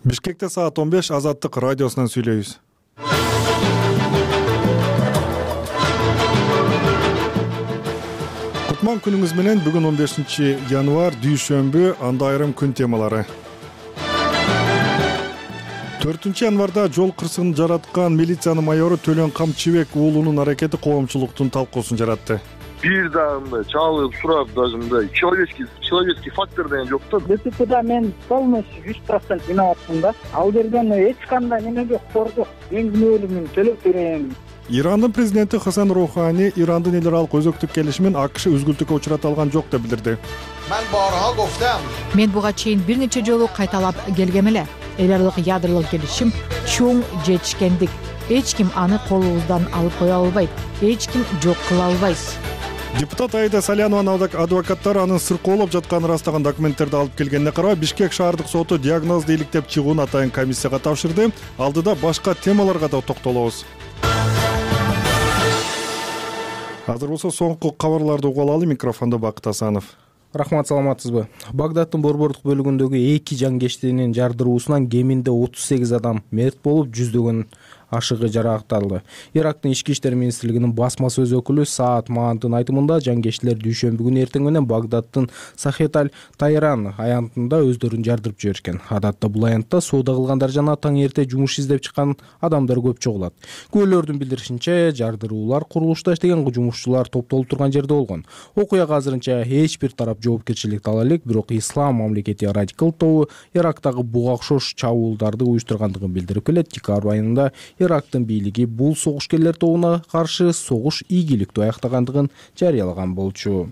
Бишкекте саат 15 Азаттык радиосунан сүйлөйбүз. Кутман күнүңүз менен. Бүгүн 15 январь дүйшөмбү, анда айрым күн темалары. 4 январда жол кырсыгын жараткан милициянын майору Төлөн Камчыбек уулунун аракети коомчулуктун талкуусун жаратты. Бир дагы чалып сурап, даже мындай человеческий фактор деген жок да. ДТПда мен полностью 100% виноватмын да. Ал жерден эч кандай неме жок, кордук. Мен күнөөлүүмүн, төлөп берем. Ирандын президенти Хасан Роухани Ирандын эл аралык өзөктүк келишимин АКШ үзгүлтүккө учурата алган жок деп билдирди. Мен буга чейин бир нече жолу кайталап келгем эле. Эл аралык ядролук келишим чоң жетишкендик. Эч ким аны колубуздан алып кое албайт. Эч ким жок кыла албайт. Депутат Аида Салянованын адвокаттары анын сыркоолоп жатканын ырастаган документтерди алып келгенине карабай, Бишкек шаардык соту диагнозду иликтеп чыгууну атайын комиссияга тапшырды. Алдыда башка темаларга да токтолобуз. Азыр болсо соңку кабарларды угуп алалы. Микрофондо Бакыт Асанов. Рахмат, саламатсызбы? Багдаддын борбордук бөлүгүндөгү 2 жангештинин жардыруусунан кеминде 38 адам мерт болуп, жүздөгөн ашыгы жаракталды. Ирактын ички иштер министрлигинин басма сөз өкүлү Саат Маандын айтымында, жангештилер дүйшөмбү күнү эртең менен Багдаддын Сахеталь Тайран аянтында өздөрүн жардырып жиберишкен. Адатта бул аянтта соода кылгандар жана таң эрте жумуш издеп чыккан адамдар көп чогулат. Күбөлөрдүн билдиришинче, жардыруулар курулушта иштеген жумушчулар топтолуп турган жерде болгон. Окуяга азырынча эч бир тарап жоопкерчиликти ала элек, бирок Ислам мамлекети радикал тобу Ирактагы буга окшош чабуулдарды уюштургандыгын билдирип келет. Декабрь айында Ирактын бийлиги бул согушкерлер тобуна каршы согуш ийгиликтүү аяктагандыгын жарыялаган болчу.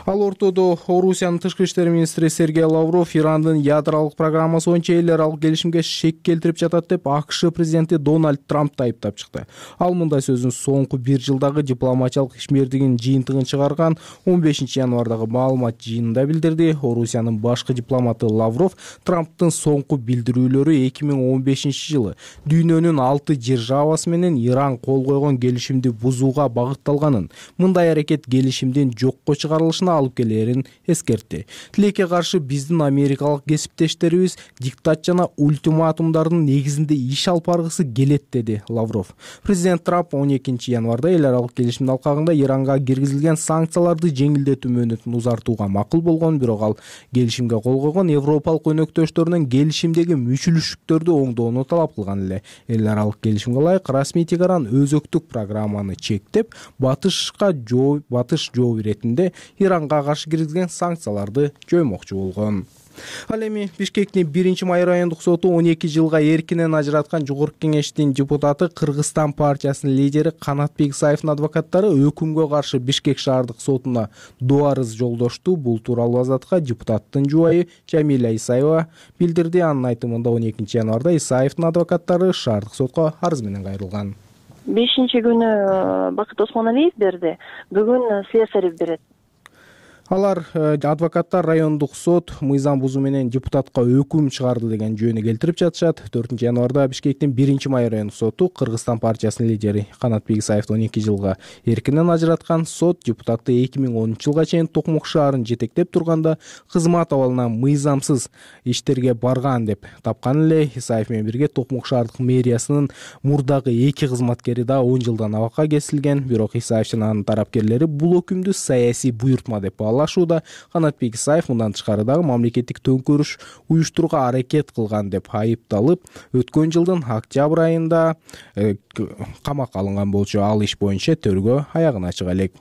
Ал ортодо Орусиянын тышкы иштер министри Сергей Лавров Ирандын ядролук программасы боюнча эл аралык келишимге шек келтирип жатат деп АКШ президенти Дональд Трампты айыптап чыкты. Ал мындай сөзүн соңку 1 жылдагы дипломатиялык ишмердигинин жыйынтыгын чыгарган 15 январдагы маалымат жыйынында билдирди. Орусиянын башкы дипломаты Лавров Трамптын соңку билдирүүлөрү 2015 жылы дүйнөнүн 6 державасы менен Иран кол койгон келишимди бузууга багытталганын, мындай аракет келишимдин жокко чыгарылышына алып келерин эскертти. Тилекке каршы биздин америкалык кесиптештерибиз диктат жана ультиматумдардын негизинде иш алып баргысы келет, деди Лавров. Президент Трамп 12 январда эл аралык келишимдин алкагында Иранга киргизилген санкцияларды жеңилдетүү мөөнөтүн узартууга макул болгон, бирок ал келишимге кол койгон европалык өнөктөштөрүнүн келишимдеги мүчүлүштүктөрдү оңдоону талап кылган эле. Эл аралык келишимге ылайык расмий Тегеран өзөктүк программаны чектеп, батыш жооп иретинде Иранга каршы киргизген санкцияларды жоймокчу болгон. Ал эми Бишкектин 1-май райондук соту 12 жылга эркинен ажыраткан Жогорку Кеңештин депутаты Кыргызстан партиясынын лидери Канатбек Исаевдин адвокаттары өкүмгө каршы Бишкек шаардык сотуна доо арыз жолдошту. Бул тууралуу Азатка депутаттын жубайы Жамиля Исаева билдирди. Анын айтымында 12 январда Исаевдин адвокаттары шаардык сотко арыз менен кайрылган. 5-күнү Бакыт Осмоналиев берди, бүгүн Слесарев берет. Алар адвокаттар райондук сот мыйзам бузуу менен депутатка өкүм чыгарды деген жөнү келтирип жатышат. 4 январда Бишкектин 1-май райондук соту Кыргызстан партиясынын лидери Канатбек Исаевди 12 жылга эркинен ажыраткан. Сот депутатты 2010 жылга чейин Токмок шаарын жетектеп турганда кызмат абалынан мыйзамсыз иштерге барган деп тапкан эле. Исаев менен бирге Токмок шаардык мэриясынын мурдагы 2 кызматкери да 10 жылдан абакка кесилген. Бирок Исаев жана анын тарапкерлери бул өкүмдү саясий буйртма деп баалашууда. Канатбек Исаев мындан тышкары дагы мамлекеттик төңкөрүш уюштурууга аракет кылган деп айыпталып, өткөн жылдын октябрь айында камакка алынган болчу. Ал иш боюнча тергөө аягына чыга элек.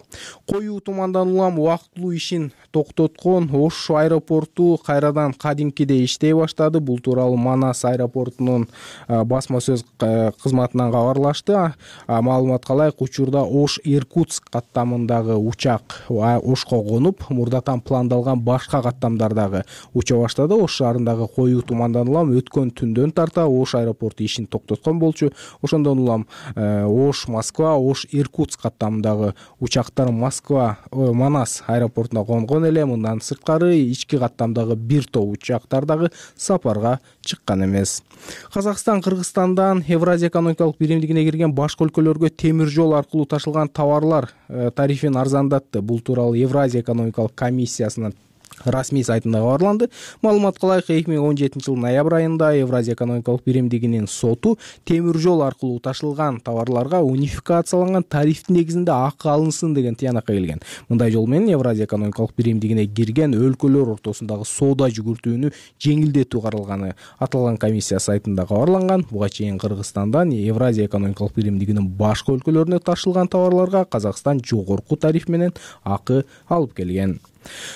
Коюу тумандан улам убактылуу ишин токтоткон Ош аэропорту кайрадан кадимкидей иштей баштады. Бул тууралуу Манас аэропортунун басма сөз кызматынан кабарлашты. Маалыматка ылайык, учурда Ош-Иркутск каттамындагы учак Ошко конуп, мурдатан пландалган башка каттамдардагы уча баштады. Ош шаарындагы коюу тумандан улам өткөн түндөн тарта Ош аэропорту ишин токтоткон болчу. Ошондон улам Ош-Москва, Ош-Иркутск каттамындагы учактар Манас аэропортуна конгон эле. Мындан сырткары ички каттамдагы бир топ учактар дагы сапарга чыккан эмес. Казакстан Кыргызстандан Евразия экономикалык биримдигине кирген башка өлкөлөргө темир жол аркылуу ташылган товарлар тарифин арзандатты. Бул тууралуу Евразия экономикалык комиссиясынын расмий сайтында кабарланды. Маалыматка ылайык 2017 жылдын ноябрь айында Евразия экономикалык биримдигинин соту темир жол аркылуу ташылган товарларга унификацияланган тарифтин негизинде акы алынсын деген тыянакка келген. Мындай жол менен Евразия экономикалык биримдигине кирген өлкөлөр ортосундагы соода жүгүртүүнү жеңилдетүү каралганы аталган комиссия сайтында кабарланган. Буга чейин Кыргызстандан Евразия экономикалык биримдигинин башка өлкөлөрүнө ташылган товарларга Казакстан жогорку тариф менен акы алып келген.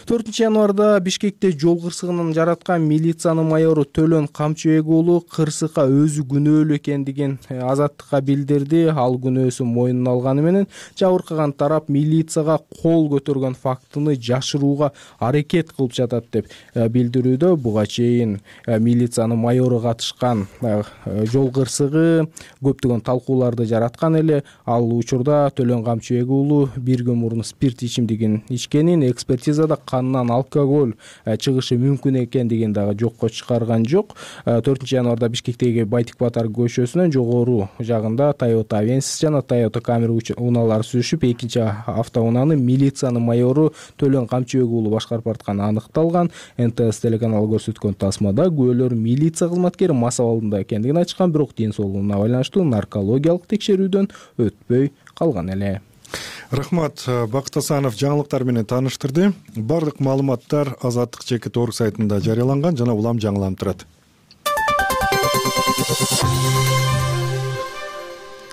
4-январда Бишкекте жол кырсыгын жараткан милициянын майору Төлөн Камчыбек уулу кырсыкка өзү күнөөлүү экендигин Азаттыкка билдирди. Ал күнөөсүн мойнуна алганы менен жабыркаган тарап милицияга кол көтөргөн фактыны жашырууга аракет кылып жатат деп билдирүүдө. Буга чейин милициянын майору катышкан жол кырсыгы көптөгөн талкууларды жараткан эле. Ал учурда Төлөн Камчыбек уулу бир күн мурун спирт ичимдигин ичкенин, экспертизада канынан алкоголь чыгышы мүмкүн экендигин дагы жокко чыгарган жок. 4-январда Бишкектеги Байтик Батар көчөсүнөн жогору жагында Toyota Avensis жана Toyota Camry унаалары сүзүшүп, экинчи автоунааны милициянын майору Төлөн Камчыбек уулу башкарып баратканы аныкталган. НТС телеканалы көрсөткөн тасмада күбөлөр милиция кызматкери мас абалында экендигин айтышкан, бирок ден соолугуна байланыштуу наркологиялык текшерүүдөн өтпөй калган эле. Рахмат. Бакыт Асанов жаңылыктар менен тааныштырды. Бардык маалыматтар Азаттык чекит орг сайтында жарыяланган жана улам жаңыланып турат.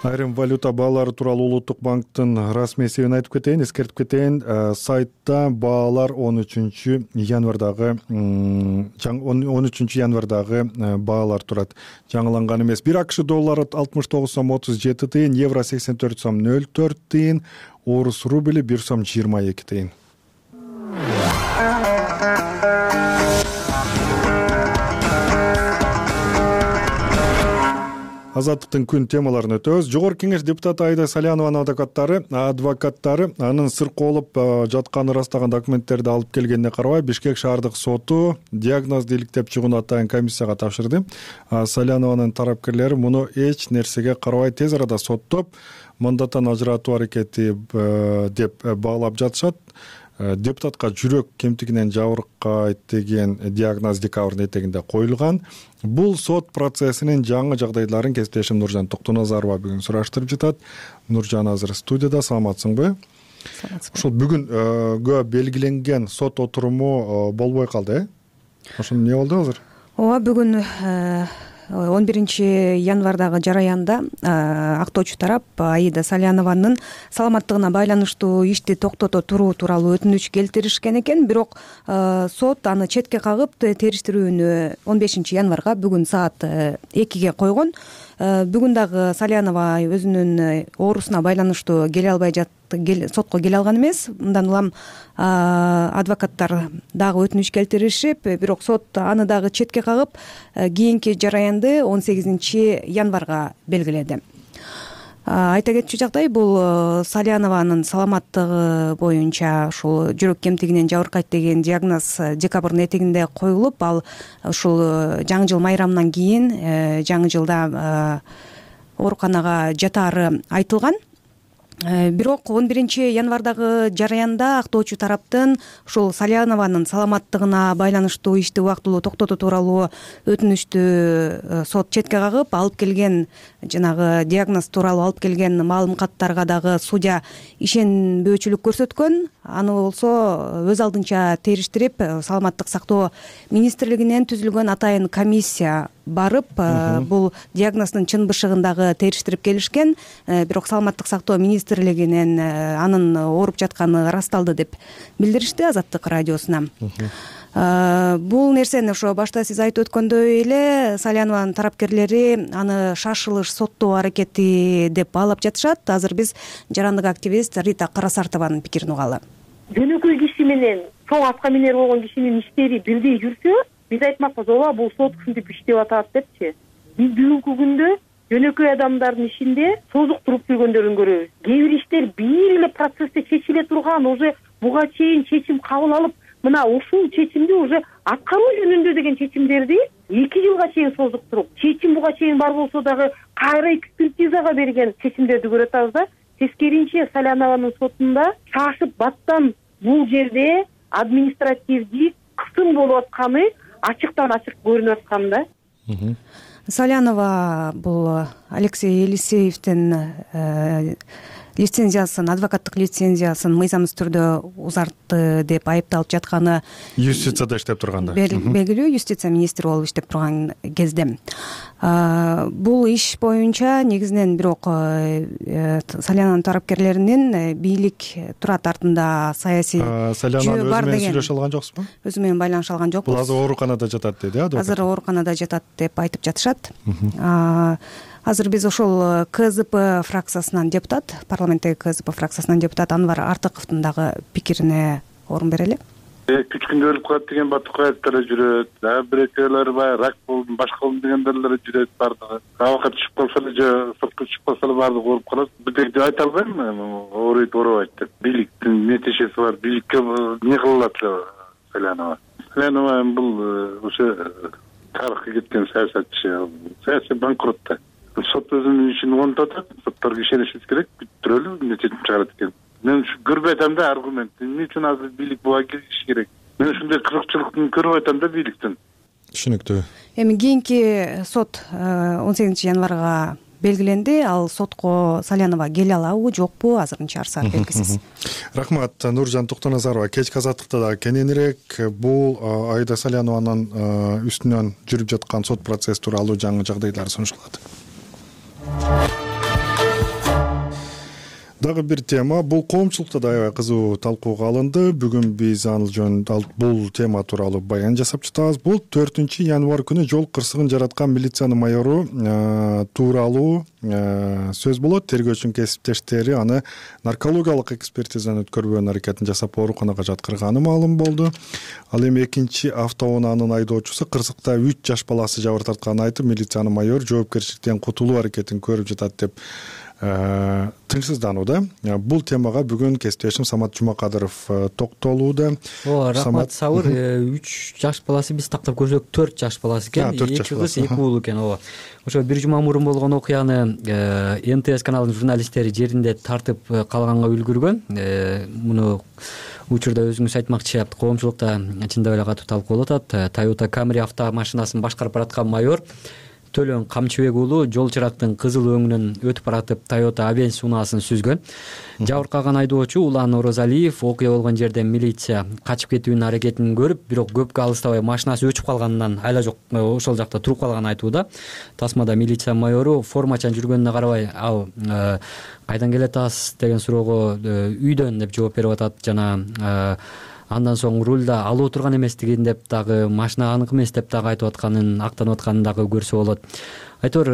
Айрым валюта баалары тууралуу Улуттук банктын расмий эсебин айтып кетейин, эскертип кетейин. Сайтта баалар 13 январдагы баалар турат. Жаңыланган эмес. 1 АКШ доллары 69 сом 37 тыйын, евро 84 сом 04 тыйын, орус рубли 1 сом 22 тыйын. Азаттыктын күн темаларын өтөбүз. Жогорку кеңеш депутаты Айда Салянованын адвокаттары анын сыр колуп жатканын ырастаган документтерди алып келгенине карабай, Бишкек шаардык соту диагнозду иликтеп чыгууну атайын комиссияга тапшырды. Салянованын тарапкерлери муну эч нерсеге карабай тез арада соттоп, мандаттан ажыратуу аракети деп баалап жатышат. Депутатка жүрөк кемтигинен жабыркайт деген диагноз декабрдын этегинде коюлган. Бул сот процессинин жаңы жагдайларын кесиптешим Нуржан Токтоназарова бүгүн сураштырып жатат. Нуржан азыр студияда. Саламатсыңбы? Саламатсызбы. Ошол бүгүнгө белгиленген сот отуруму болбой калды, Ошол эмне болду азыр? Ооба, бүгүн 11 январдагы жараянда актоочу тарап Аида Салянованын саламаттыгына байланыштуу ишти токтото туруу тууралуу өтүнүч келтиришкен экен. Бирок сот аны четке кагып, териштирүүнү 15 январга бүгүн саат 2-ге койгон. Бүгүн дагы Салянова өзүнүн оорусуна байланыштуу келе албай сотко келе алган эмес. Мындан улам адвокаттар дагы өтүнүч келтиришип, бирок сот аны дагы четке кагып, кийинки жараянды 18 январга белгиледи. Айта кетчү жагдай, бул Салянованын саламаттыгы боюнча ушул жүрөк кемтигинен жабыркайт деген диагноз декабрдын этегинде коюлуп, ал ушул жаңы жыл майрамынан кийин жаңы жылда ооруканага жатаары айтылган. Бирок 11 январдагы жараянда актоочу тараптын ушул Салянованын саламаттыгына байланыштуу ишти убактылуу токтотуу тууралуу өтүнүчтү сот четке кагып, алып келген жанагы диагноз тууралуу алып келген маалым каттарга дагы судья ишенбөөчүлүк көрсөткөн. Аны болсо өз алдынча териштирип, саламаттык сактоо министрлигинен түзүлгөн атайын комиссия барып, бул диагноздун чын бышыгын дагы териштирип келишкен. Бирок саламаттык сактоо министрлигинен анын ооруп жатканы ырасталды деп билдиришти Азаттык радиосуна. Бул нерсени ошо башта сиз айтып өткөндөй эле Салянованын тарапкерлери аны шашылыш соттоо аракети деп баалап жатышат. Азыр биз жарандык активист Рита Карасартованын пикирин угалы. Жөнөкөй киши менен чоң атка минер болгон кишинин иштери бирдей жүрсө, биз айтмакпыз, ооба бул сот ушинтип иштеп атат депчи. Биз бүгүнкү күндө жөнөкөй адамдардын ишинде созук туруп жүргөндөрүн көрөбүз. Кээ бир иштер бир эле процессте чечиле турган, уже буга чейин чечим кабыл алып, мына ушул чечимди уже аткаруу жөнүндө деген чечимдерди 2 жылга чейин созуктуруп, чечим буга чейин бар болсо дагы кайра экспертизага берген чечимдерди көрөт да. Тескеринче Салянованын сотунда шашып баттан бул жерде административдик кысым болуп атканы ачыктан ачык көрүнүп аткан да. Салянова бул Алексей Елисеевдин лицензиясын, адвокаттык лицензиясын мыйзамсыз түрдө узартты деп айыпталып жатканы юстицияда иштеп турганда белгилүү, юстиция министри болуп иштеп турган кезде бул иш боюнча негизинен бирок Салянанын тарапкерлеринин бийлик турат артында саясий жөө бар деген. Сүйлөшө алган жоксузбу? Өзү менен байланыша алган жокпуз. Бул азыр ооруканада жатат дейт, азыр ооруканада жатат деп айтып жатышат. Азыр биз ошол КЗП фракциясынан депутат, парламенттеги КЗП фракциясынан депутат Анвар Артыковдун дагы пикирине орун берели. 3 күндө өлүп калат деген батыкаяттар жүрөт. Бир экөөлөр баягы рак болдум, башка болдум дегендер жүрөт бардыгы. Абакка түшүп калса эле же сыртка чыгып калса эле бардыгы ооруп калат. Бирдек деп айта албайм, ооруйт, оорубайт деп. Бийликтин нетишеси бар. Бийликке эмне кылат эле Салянова. Салянова бул ошо тарыхка кеткен саясатчы, саясий банкрот да. Сот өзүнүн ишин оңдоп атат, сотторго ишенишибиз керек, бүттүрөлү, чечим чыгарат экен. Мен ушу көрбөй атам да аргумент. Эмне үчүн азыр бийлик буга кириши керек? Мен ушундай кызыкчылыктын көрбөй атам да бийликтен. Түшүнүктүү. Эми кийинки сот 18-январга белгиленди. Ал сотко Салянова келе алабы, жокпу, азырынча арсар белгисиз. Рахмат, Нуржан Токтоназарова. Кечки азаттыкта да кененирээк бул Аида Салянованын үстүнөн жүрүп жаткан сот процесси тууралуу жаңы жагдайлар сунушталат. Дагы бир тема, бул коомчулукта да аябай кызуу талкууга алынды. Бүгүн биз ал жөнүндө бул тема тууралуу баян жасап жатабыз. Бул 4-январ күнү жол кырсыгын жараткан милициянын майору тууралуу сөз болот. Тергөөчүнүн кесиптештери аны наркологиялык экспертизаны өткөрбөөнүн аракетин жасап ооруканага жаткырганы маалым болду. Ал эми экинчи автоунаанын айдоочусу кырсыкта 3 жаш баласы жабыр тартканын айтып, милициянын майору жоопкерчиликтен кутулуу аракетин көрүп жатат деп тынчсызданууда. Бул темага бүгүн кесиптешим Самат Жумакадыров токтолууда. Рахмат, Сабыр. 3 жаш баласы биз тактап көрсөк 4 жаш баласы экен. 2 кыз, 2 уул экен. Ошо бир жума мурун болгон окуяны НТС каналынын журналисттери жеринде тартып калганга үлгүргөн. Муну учурда өзүңүз айтмакчы, коомчулукта чындап эле катуу талкуу болуп атат. Toyota Camry автомашинасын башкарып бараткан майор Төлөн Камчыбек уулу жол чырактын кызыл өңүнөн өтүп баратып Toyota Avensis унаасын сүзгөн. Жабыркаган айдоочу Улан Орозалиев окуя болгон жерден милиция качып кетүүнүн аракетин көрүп, бирок көпкө алыстабай машинасы өчүп калганынан айла жок ошол жакта туруп калганын айтууда. Тасмада милиция майору формачан жүргөнүнө карабай, ал кайдан келе атасыз деген суроого үйдөн деп жооп берип атат жана андан соң рулда алып отурган эместигин деп дагы, машина анык эмес деп дагы айтып атканын, актанып атканын дагы көрсө болот. Айтор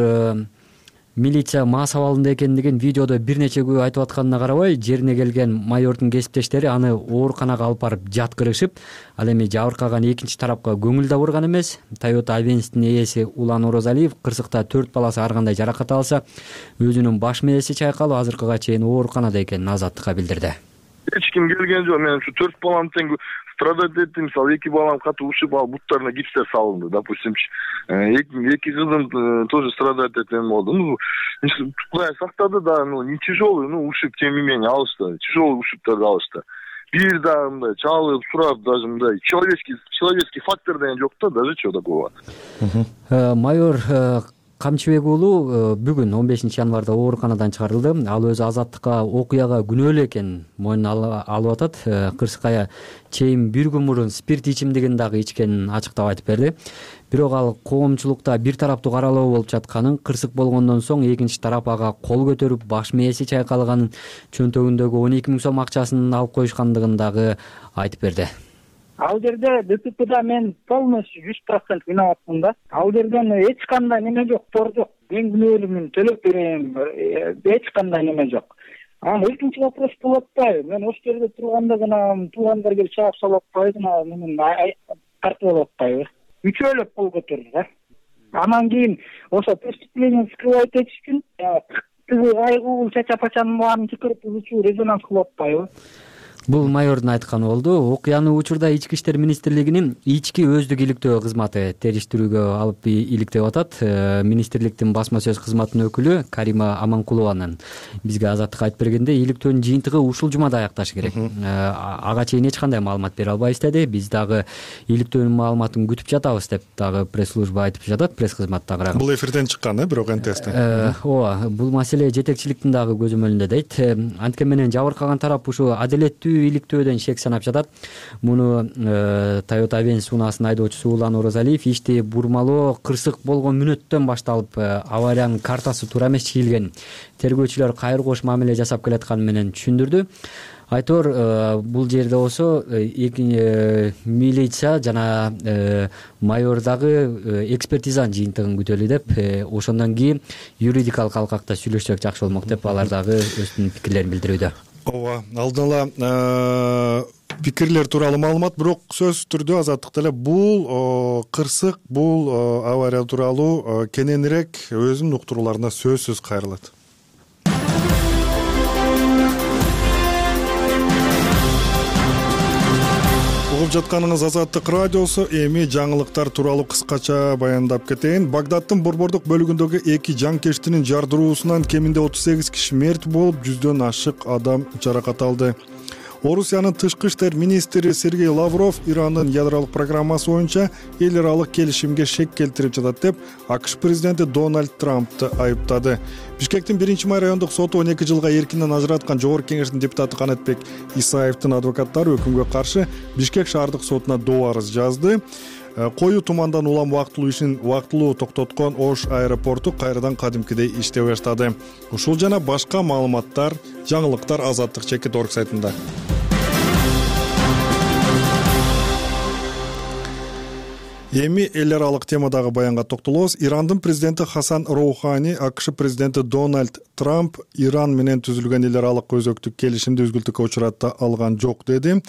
милиция мас абалында экендигин видеодо бир нече күбө айтып атканына карабай, жерине келген майордун кесиптештери аны ооруканага алып барып жаткырышып, ал эми жабыркаган экинчи тарапка көңүл да бурган эмес. Toyota Avensистин ээси Улан Орозалиев кырсыкта 4 баласы ар кандай жаракат алса, өзүнүн баш мээси чайкалып, азыркыга чейин ооруканада экенин Азаттыкка билдирди. Эч ким келген жок. Мен ушу 4 балам тең страдать эттим. Мисалы 2 балам катуу ушиб, ал буттарына гипстер салынды, допустимчи. 2 кызым тоже страдать эткен болду. Кудай сактады да, не тяжелый, ушиб тем не менее алышты. Тяжелый ушибтерди алышты. Бир да мындай чалып, сурап, даже мындай человеческий фактор деген жок да, даже чего такого. Майор Камчыбек уулу бүгүн 15-январда ооруканадан чыгарылды. Ал өзү Азаттыкка окуяга күнөөлүү экенин мойнуна алып атат. Кырсыкая чейин бир күн мурун спирт ичимдигин дагы ичкенин ачыктап айтып берди. Бирок ал коомчулукта бир тараптуу каралоо болуп жатканын, кырсык болгондон соң экинчи тарап ага кол көтөрүп, баш мээси чайкалганын, чөнтөгүндөгү 12 000 сом акчасын алып коюшкандыгын дагы айтып берди. Ал жерде ДТПда мен полностью 100% виноватмын да. Ал жерден эч кандай неме жок, тор жок. Мен күнөөлүүмүн, төлөп берем, эч кандай неме жок. Экинчи вопрос болуп атпайбы? Мен ошол жерде турганда гана туугандар келип чаап салып атпайбы, менин тартып алып атпайбы? Үчөөлөп кол көтөрдү да. Анан кийин ошо преступление скрывать этиш үчүн айгуу чача-пачанын баарын чакырып резонанс кылып атпайбы? Бул майордун айтканы болду. Окуяны учурда Ички иштер министрлигинин ички өздүк иликтөө кызматы териштирүүгө алып иликтеп атат. Министрликтин басма сөз кызматынын өкүлү Карима Аманкулованын бизге Азаттыкка айтып бергенде, иликтөөнүн жыйынтыгы ушул жумада аякташы керек. Ага чейин эч кандай маалымат бере албайбыз деди. Биз дагы иликтөөнүн маалыматын күтүп жатабыз деп дагы пресс-служба айтып жатат, пресс кызматтагы. Бул эфирден чыккан, бирок НТСтен. Ооба, бул маселе жетекчиликтин дагы көзөмөлүндө дейт. Анткени менен жабыркаган тарап ушу адилеттүү иликтөөдөн шек санап жатат. Муну Toyota Avensis унаасын айдоочусу Улан Орозалиев ишти бурмалоо кырсык болгон мүнөттөн башталып, авариянын картасы туура эмес чийилген, тергөөчүлөр кайры-кош мамиле жасап келатканы менен түшүндүрдү. Айтор, бул жерде болсо милиция жана майор дагы экспертизанын жыйынтыгын күтөлү деп, ошондон кийин юридикалык алкакта сүйлөшсөк жакшы болмок деп, алар дагы өздүнүн пикирлерин билдирүүдө. Ооба, алдын ала пикирлер тууралуу маалымат, бирок сөзсүз түрдө Азаттыкта эле бул кырсык, бул авария тууралуу кененирээк өзүнүн уктурууларына сөзсүз кайрылат. Угуп жатканыңыз Азаттык радиосу. Эми жаңылыктар тууралуу кыскача баяндап кетейин. Багдаддын борбордук бөлүгүндөгү 2 жанкештинин жардыруусунан кеминде 38 киши мерт болуп, 100дөн ашык адам жаракат алды. Орусиянын тышкы иштер министри Сергей Лавров Ирандын ядролук программасы боюнча эл аралык келишимге шек келтирип жатат деп АКШ президенти Дональд Трампты айыптады. Бишкектин 1-май райондук соту 12 жылга эркинен ажыраткан Жогорку кеңештин депутаты Канатбек Исаевдин адвокаттары өкүмгө каршы Бишкек шаардык сотуна доо арыз жазды. Коюу тумандан улам убактылуу ишин убактылуу токтоткон Ош аэропорту кайрадан кадимкидей иштей баштады. Ушул жана башка маалыматтар, жаңылыктар Азаттык.org сайтында. Эми эл аралык темадагы баянга токтолобуз. Ирандын президенти Хасан Роухани АКШ президенти Дональд Трамп Иран менен түзүлгөн эл аралык өзөктүк келишимди үзгүлтүккө учурата алган жок деди.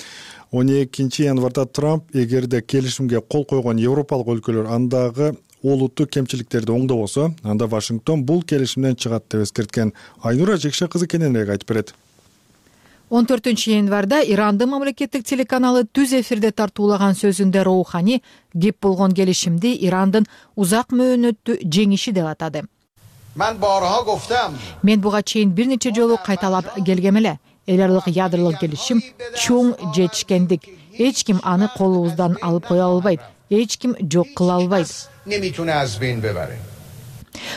12 январда Трамп эгерде келишимге кол койгон европалык өлкөлөр андагы олуттуу кемчиликтерди оңдобосо, анда Вашингтон бул келишимден чыгат деп эскерткен. Айнура Жекше кызы кененирээк айтып берет. 14-январда Ирандын мамлекеттик телеканалы түз эфирде тартуулаган сөзүндө Роухани кеп болгон келишимди Ирандын узак мөөнөттүү жеңиши деп атады. Мен буга чейин бир нече жолу кайталап келгем эле. Эл аралык ядролук келишим чоң жетишкендик. Эч ким аны колубуздан алып кое албайт. Эч ким жок кыла албайт.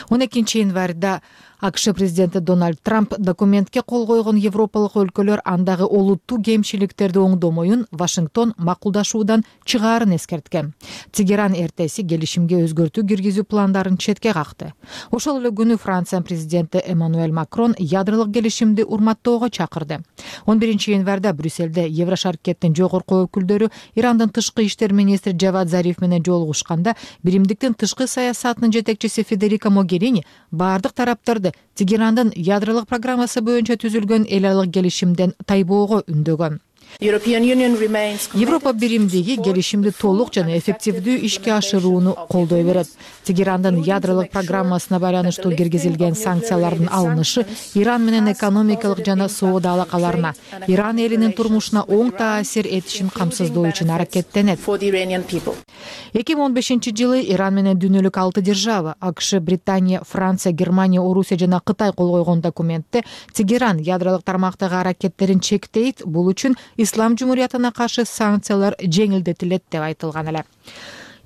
12 январда АКШ президенти Дональд Трамп документке кол койгон европалык өлкөлөр андагы олуттуу кемчиликтерди оңдомоюн Вашингтон макулдашуудан чыгаарын эскерткен. Тегеран эртеси келишимге өзгөртүү киргизүү пландарын четке какты. Ошол эле күнү Франция президенти Эммануэль Макрон ядролук келишимди урматтоого чакырды. 11 январда Брюсселде Еврошаркеттин жогорку өкүлдөрү Ирандын тышкы иштер министри Джавад Зариф менен жолугушканда, биримдиктин тышкы саясатынын жетекчиси Федерика Могерини баардык тараптарды Тегерандын ядролук программасы боюнча түзүлгөн эл аралык келишимден тайбоого үндөгөн. Европа биримдиги келишимди толук жана эффективдүү ишке ашырууну колдой берет. Тегерандын ядролук программасына байланыштуу киргизилген санкциялардын алынышы Иран менен экономикалык жана соода алакаларына, Иран элинин турмушуна оң таасир этишин камсыздоо үчүн аракеттенет. 2015 жылы Иран менен дүйнөлүк 6 держава АКШ, Британия, Франция, Германия, Орусия жана Кытай кол койгон документте Тегеран ядролук тармактагы аракеттерин чектейт, бул үчүн Ислам жумуриятына каршы санкциялар жеңилдетилет деп айтылган эле.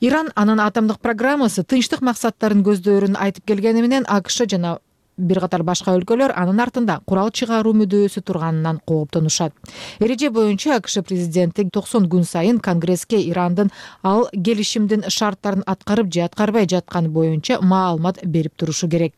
Иран анын атомдук программасы тынчтык максаттарын көздөрүн айтып келгени менен АКШ жана бир катар башка өлкөлөр анын артында курал чыгаруу мүдөөсү турганынан кооптонушат. Эреже боюнча АКШ президенти 90 күн сайын Конгресске Ирандын ал келишимдин шарттарын аткарып же аткарбай жатканы боюнча маалымат берип турушу керек.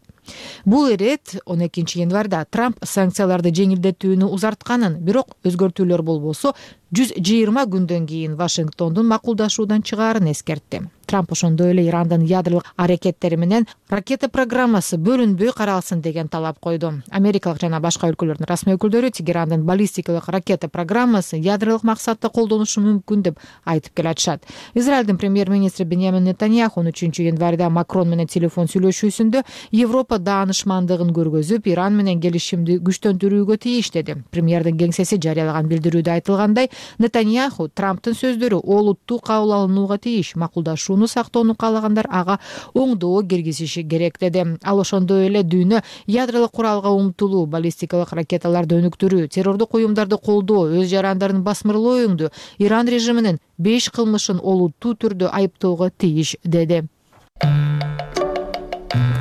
Бул ирет 12 январда Трамп санкцияларды жеңилдетүүнү узартканын, бирок өзгөртүүлөр болбосо 120 күндөн кийин Вашингтондун макулдашуудан чыгаарын эскертти. Трамп ошондой эле Ирандын ядролук аракеттери менен ракета программасы бөлүнбөй каралсын деген талап койду. Америкалык жана башка өлкөлөрдүн расмий өкүлдөрү Тегерандын баллистикалык ракета программасы ядролук максатта колдоnuшу мүмкүн деп айтып келатышат. Израилдин премьер-министри Беньямин Нетаньяху 13 январда Макрон менен телефон сүйлөшүүсүндө Европа даанышмандыгын көргөзүп, Иран менен келишимди күчтөндүрүүгө тийиш деди. Премьердин кеңсеси жарыялаган билдирүүдө айтылгандай, Нетаньяху Трамптын сөздөрү олуттуу кабыл алынууга тийиш, макулдашууну сактоону каалагандар ага оңдоо киргизиши керек деди. Ал ошондой эле дүйнө ядролук куралга умтулуу, баллистикалык ракеталарды өнүктүрүү, террордук уюмдарды колдоо, өз жарандарын басмырлоо өңдүү Иран режиминин 5 кылмышын олуттуу түрдө айыптоого тийиш деди.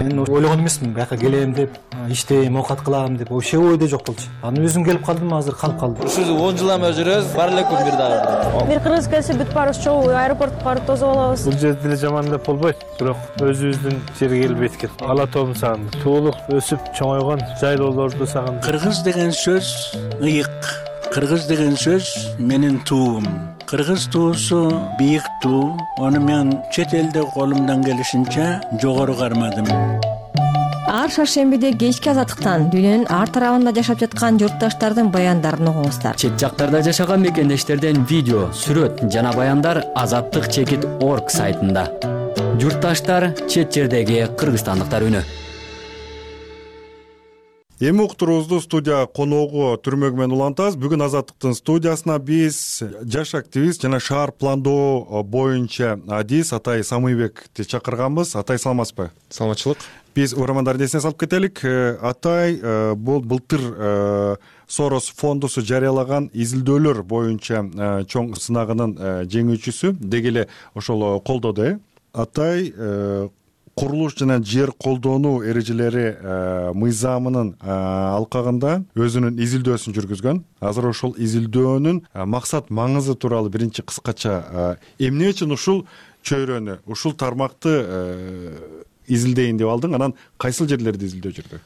Мен ойлогон эмесмин бияка келем деп, иштейм, оокат кылам деп, вообще ойдо жок болчу. Анан өзүм келип калдым, азыр калып калдым. Ушул 10 жыл эме жүрөбүз, бар эле күн бир дагы. Бир кыргыз келсе бүт баарыбыз чогуу аэропортко барып тосуп алабыз. Бул жер деле жаман деп болбойт, бирок өзүбүздүн жерге келбейт экен. Ала тоом сагындым. Туулук өсүп чоңойгон жайлоолорду сагындым. Кыргыз деген сөз ыйык. Кыргыз деген сөз менин туум. Кыргыз туусу бийик туу. Аны мен чет элде колумдан келишинче жогору кармадым. Ар шаршембиде кечки азаттыктан дүйнөнүн ар тарабында жашап жаткан журтташтардын баяндарын угуңуздар. Чет жактарда жашаган мекендештерден видео, сүрөт жана баяндар azattik.org сайтында. Журтташтар, чет жердеги кыргызстандыктар үнү. Эми уктуруубузду студия коногу Түрмөгүмөн улантабыз. Бүгүн Азаттыктын студиясына биз жаш активист жана шаар пландоо боюнча адис Атай Самыйбекти чакырганбыз. Атай, саламатсызбы? Саламатчылык. Биз угармандардын эсине салып кетелик. Атай бул былтыр Сорос фондусу жарыялаган изилдөөлөр боюнча чоң сынагынын жеңүүчүсү, деги эле ошол колдоду. Атай курулуш жана жер колдонуу эрежелери мыйзамынын алкагында өзүнүн изилдөөсүн жүргүзгөн. Азыр ошол изилдөөнүн максат маңызы тууралуу биринчи кыскача эмне үчүн ушул чөйрөнү, ушул тармакты изилдейин деп алдың, анан кайсыл жерлерди изилдөө жүрдү?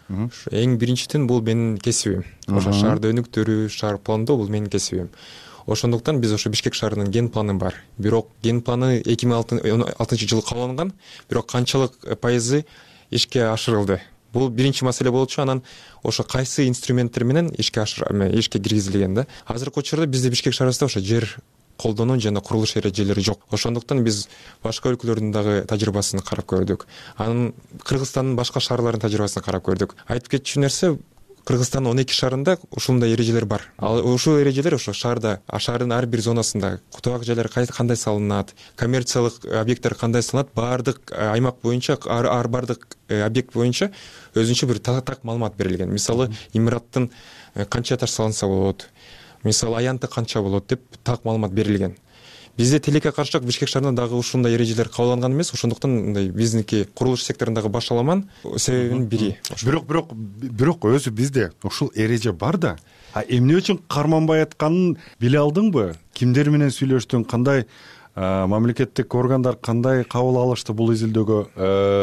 Эң биринчиден бул менин кесибим. Ошо шаарды өнүктүрүү, шаар пландоо бул менин кесибим. Ошондуктан биз ошо Бишкек шаарынын ген планы бар. Бирок ген планы 2016 жылы кабылган, бирок канчалык пайызы ишке ашырылды. Бул биринчи маселе болчу. Анан ошо кайсы инструменттер менен ишке киргизилген да. Азыркы учурда бизде Бишкек шаарында ошо жер колдонуу жана курулуш эрежелери жок. Ошондуктан биз башка өлкөлөрдүн дагы тажрыйбасын карап көрдүк. Анан Кыргызстандын башка шаарларынын тажрыйбасын карап көрдүк. Айтып кетчү нерсе, Кыргызстандын 12 шаарында ушундай эрежелер бар. Ал ушул эрежелер ошо шаардын ар бир зонасында кутубак жайлар кандай салынат, коммерциялык объекттер кандай салынат, баардык аймак боюнча, ар бардык объект боюнча өзүнчө бир так маалымат берилген. Мисалы, имараттын канча этаж салынса болот, мисалы аянты канча болот деп так маалымат берилген. Бизде тилекке каршылык Бишкек шаарында дагы ушундай эрежелер кабылган эмес. Ошондуктан мындай биздики курулуш секторундагы башаламан себебинин бири. Бирок өзү бизде ушул эреже бар да. Эмне үчүн карманбай атканын биле алдыңбы? Кимдер менен сүйлөштүң? Кандай мамлекеттик органдар кандай кабыл алышты бул изилдөөгө?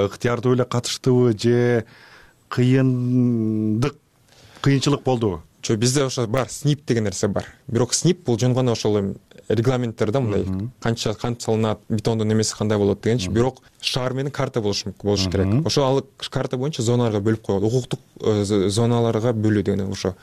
Ыктыярдуу эле катыштыбы же кыйынчылык болдубу? Бизде ошо бар, СНИП деген нерсе бар. Бирок СНИП бул жөн гана ошол регламенттер да, мындай канча кант салынат, бетондун немеси кандай болот дегенчи. Бирок шаар менен карта болуш керек. Ошо ал карта боюнча зоналарга бөлүп коет. Укуктук зоналарга бөлүү деген, ошо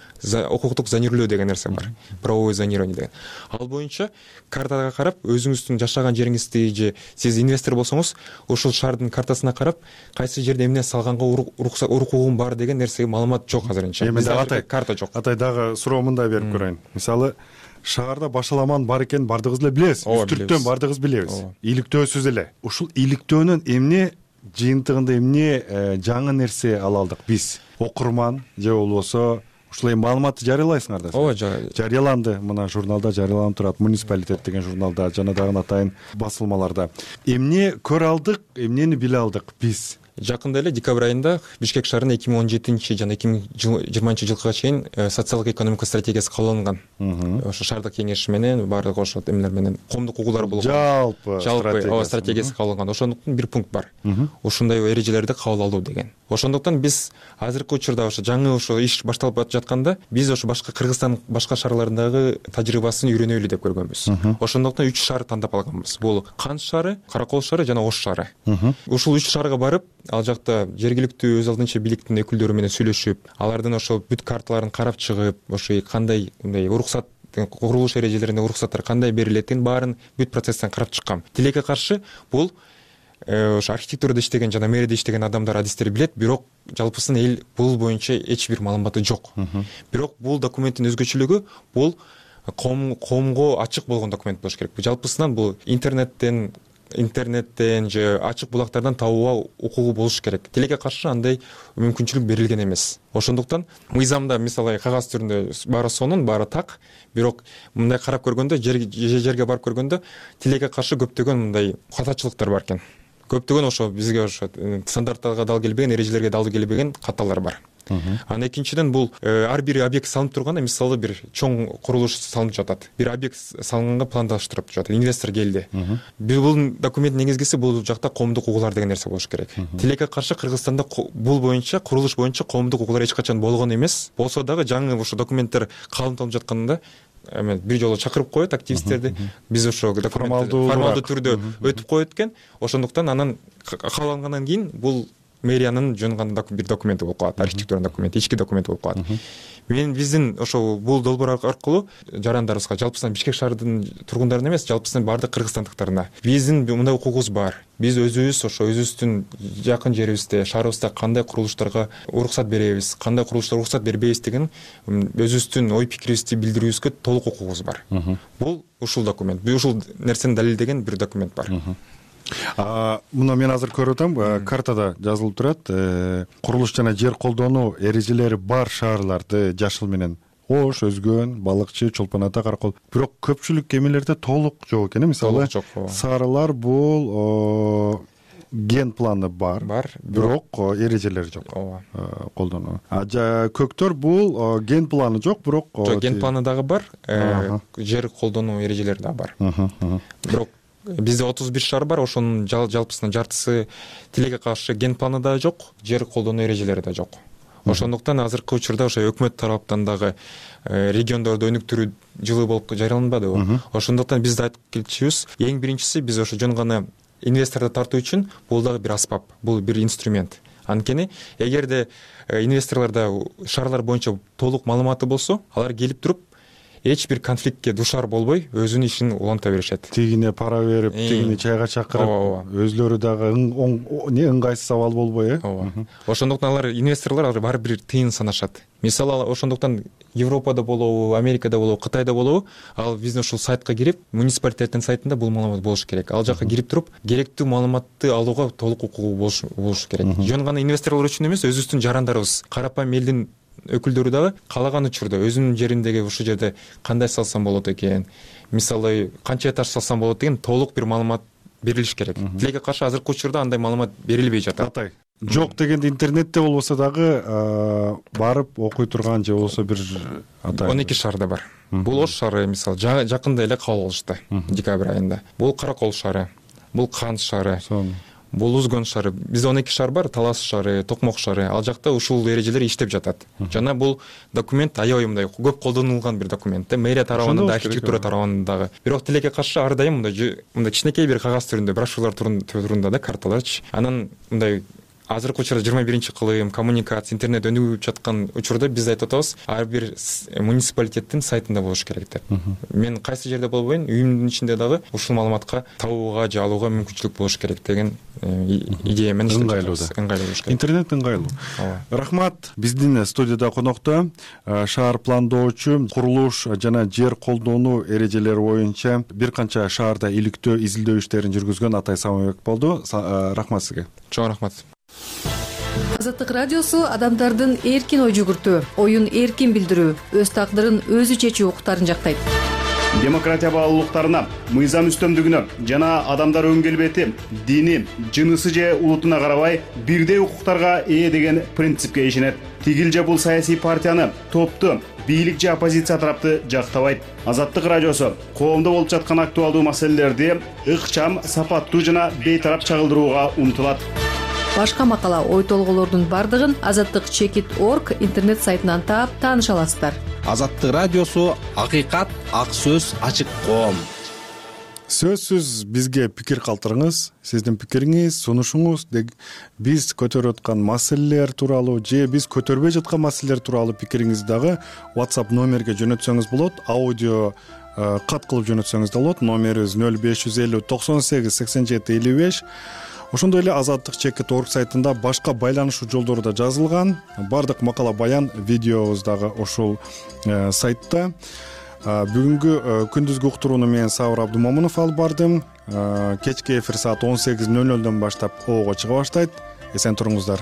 укуктук зонирлөө деген нерсе бар. Правовое зонирование деген. Ал боюнча картага карап, өзүңүздүн жашаган жериңизди же сиз инвестор болсоңуз, ушул шаардын картасына карап, кайсы жерде эмне салганга укугум бар деген нерсеге маалымат жок азырынча. Бизде карта жок. Атай дагы суроо мындай берип көрөйүн. Мисалы, шаарда башаламан бар экенин бардыгыбыз эле билебиз. Үстүрттөн бардыгыбыз билебиз. Иликтөөсүз эле. Ушул иликтөөнүн эмне жыйынтыгында эмне жаңы нерсе ала алдык биз? Окурман же болбосо ушул эми маалыматты жарыялайсыңар да. Ооба, жарыяланды. Мына журналда жарыяланып турат. Муниципалитет деген журналда жана дагы атайын басылмаларда. Эмне көрө алдык, эмнени биле алдык биз? Жакында эле декабрь айында Бишкек шаарынын 2017 жана 2020 жылга чейин социалдык экономикалык стратегиясы кабыл алынган. Ошо шаардык кеңеш менен баардык ошо эмелер менен коомдук угуулар болгон. Жалпы стратегиясы кабыл алынган. Ошондуктан бир пункт бар. Ушундай эрежелерди кабыл алуу деген. Ошондуктан биз азыркы учурда ошо жаңы ошо иш башталып жатканда биз ошо башка Кыргызстан башка шаарларындагы тажрыйбасын үйрөнөлү деп көргөнбүз. Ошондуктан 3 шаар тандап алганбыз. Бул Кант шаары, Каракол шаары жана Ош шаары. Ушул 3 шаарга барып, ал жакта жергиликтүү өз алдынча бийликтин өкүлдөрү менен сүйлөшүп, алардын ошо бүт карталарын карап чыгып, ошо кандай мындай уруксат, курулуш эрежелерине уруксаттар кандай берилетин баарын бүт процесстен карап чыккам. Тилекке каршы бул ошо архитектурада иштеген жана мэрияда иштеген адамдар адистер билет, бирок жалпысын эл бул боюнча эч бир маалыматы жок. Бирок бул документтин өзгөчөлүгү бул коомго ачык болгон документ болуш керек. Жалпысынан бул интернеттен же ачык булактардан табууга укугу болуш керек. Тилекке каршы андай мүмкүнчүлүк берилген эмес. Ошондуктан мыйзамда мисалы кагаз түрүндө баары сонун, баары так, бирок мындай карап көргөндө, жерге барып көргөндө тилекке каршы көптөгөн мындай катачылыктар бар экен. Көптөгөн ошо бизге ошо стандарттарга дал келбеген, эрежелерге дал келбеген каталар бар. Анан экинчиден бул ар бир объект салынып турганда, мисалы бир чоң курулуш салынып жатат. Бир объект салынганга пландаштырып жатат. Инвестор келди. Бул документтин негизгиси бул жакта коомдук укугулар деген нерсе болуш керек. Тилекке каршы Кыргызстанда бул боюнча, курулуш боюнча коомдук укугулар эч качан болгон эмес. Болсо дагы жаңы ошо документтер калымталып жатканда бир жолу чакырып коет активисттерди. Биз ошо формалдуу түрдө өтүп коет экен. Ошондуктан анан каалангандан кийин бул мэриянын жөн бир документи болуп калат, архитектуранын документи, ички документ болуп калат. Биздин ошо бул долбоор аркылуу жарандарыбызга, жалпысынан Бишкек шаарынын тургундарына эмес, жалпысынан баардык кыргызстандыктарына биздин мындай укугубуз бар. Биз өзүбүз ошо өзүбүздүн жакын жерибизде, шаарыбызда кандай курулуштарга уруксат беребиз, кандай курулуштарга уруксат бербейбиз деген өзүбүздүн ой пикирибизди билдирүүбүзгө толук укугубуз бар. Бул ушул документ, ушул нерсени далилдеген бир документ бар. Муну мен азыр көрүп атам, картада жазылып турат, курулуш жана жер колдонуу эрежелери бар шаарларды жашыл менен Ош, Өзгөн, Балыкчы, Чолпон Ата, Каракол. Бирок көпчүлүк эмелерде толук жок экен. Мисалы Сарылар бул ген планы бар, бирок эрежелери жок колдонуу. Көктөр бул ген планы жок, бирок ген планы дагы бар, жер колдонуу эрежелери дагы бар. Бирок бизде 31 шаар бар, ошонун жалпысынан жартысы тилекке каршы ген планы да жок, жер колдонуу эрежелери да жок. Ошондуктан азыркы учурда ошо өкмөт тараптан дагы региондордо өнүктүрүү жылы болуп жарыяланбадыбы. Ошондуктан биз да айтып келчүбүз, эң биринчиси биз ошо жөн гана инвесторду тартуу үчүн бул дагы бир аспап, бул бир инструмент. Анткени эгерде инвесторлордо шаарлар боюнча толук маалыматы болсо, алар келип туруп эч бир конфликтке душар болбой өзүнүн ишин уланта беришет. Тигине пара берип, тигини чайга чакырып, өзлөрү дагы ыңгайсыз абал болбой, Ошондуктан алар инвесторлор баары бир тыйын санашат. Мисалы ошондуктан Европада болобу, Америкада болобу, Кытайда болобу, ал биздин ушул сайтка кирип, муниципалитеттин сайтында бул маалымат болуш керек. Ал жака кирип туруп, керектүү маалыматты алууга толук укугу болуш керек. Жөн гана инвесторлор үчүн эмес, өзүбүздүн жарандарыбыз, карапайым элдин өкүлдөрү дагы каалаган учурда өзүнүн жериндеги ушул жерде кандай салсам болот экен, мисалы канча этаж салсам болот деген толук бир маалымат берилиш керек. Тилекке каршы азыркы учурда андай маалымат берилбей жатат. Атай, жок дегенде интернетте болбосо дагы барып окуй турган же болбосо бир 12 шаарда бар. Бул Ош шаары мисалы жакында эле кабыл алышты, декабрь айында. Бул Каракол шаары, бул Кант шаары, бул Өзгөн шаары. Бизде 12 шаар бар, Талас шаары, Токмок шаары. Ал жакта ушул эрежелер иштеп жатат. Жана бул документ аябай мындай көп колдонулган бир документ. Мэрия тарабынан да, архитектура тарабынан дагы. Бирок тилекке каршы ар дайым мындай кичинекей бир кагаз түрүндө, брошюралар түрүндө да, карталарчы. Анан мындай азыркы учурда 21-кылым, коммуникация, интернет өнүгүп жаткан учурда биз айтып атабыз, ар бир муниципалитеттин сайтында болуш керек деп. Мен кайсы жерде болбойн, үйүмдүн ичинде дагы ушул маалыматка табууга же алууга мүмкүнчүлүк болуш керек деген идея менен ыңгайлуу болуш керек. Интернет ыңгайлуу. Рахмат. Биздин студияда конокто шаар пландоочу, курулуш жана жер колдонуу эрежелери боюнча бир канча шаарда иликтөө изилдөө иштерин жүргүзгөн Атай Самабек болду. Рахмат сизге. Чоң рахмат. Азаттык радиосу адамдардын эркин ой жүгүртүү, оюн эркин билдирүү, өз тагдырын өзү чечүү укуктарын жактайт. Демократия баалуулуктарына, мыйзам үстөмдүгүнө жана адамдар өң келбети, дини, жынысы же улутуна карабай бирдей укуктарга ээ деген принципке ишенет. Тигил же бул саясий партияны, топту, бийлик же оппозиция тарапты жактабайт. Азаттык радиосу коомдо болуп жаткан актуалдуу маселелерди ыкчам, сапаттуу жана бейтарап чагылдырууга умтулат. Башка макала, ой толголордун бардыгын azattik.org интернет сайтынан таап тааныша аласыздар. Азаттык радиосу акыйкат, ак сөз, ачык коом. Сөзсүз бизге пикир калтырыңыз. Сиздин пикириңиз, сунушуңуз биз көтөрүп аткан маселелер тууралуу же биз көтөрбөй жаткан маселелер тууралуу пикириңизди дагы WhatsApp номерге жөнөтсөңүз болот. Аудио кат кылып жөнөтсөңүз да болот. Номерибиз 0550 98 87 55. Ошондой эле azattik.org сайтында башка байланышуу жолдору да жазылган. Бардык макала баян, видеобуз дагы ошол сайтта. Бүгүнкү күндүзгү уктурууну мен Сабыр Абдумомунов алып бардым. Кечки эфир саат 18:00 баштап ого чыга баштайт. Эсен туруңуздар.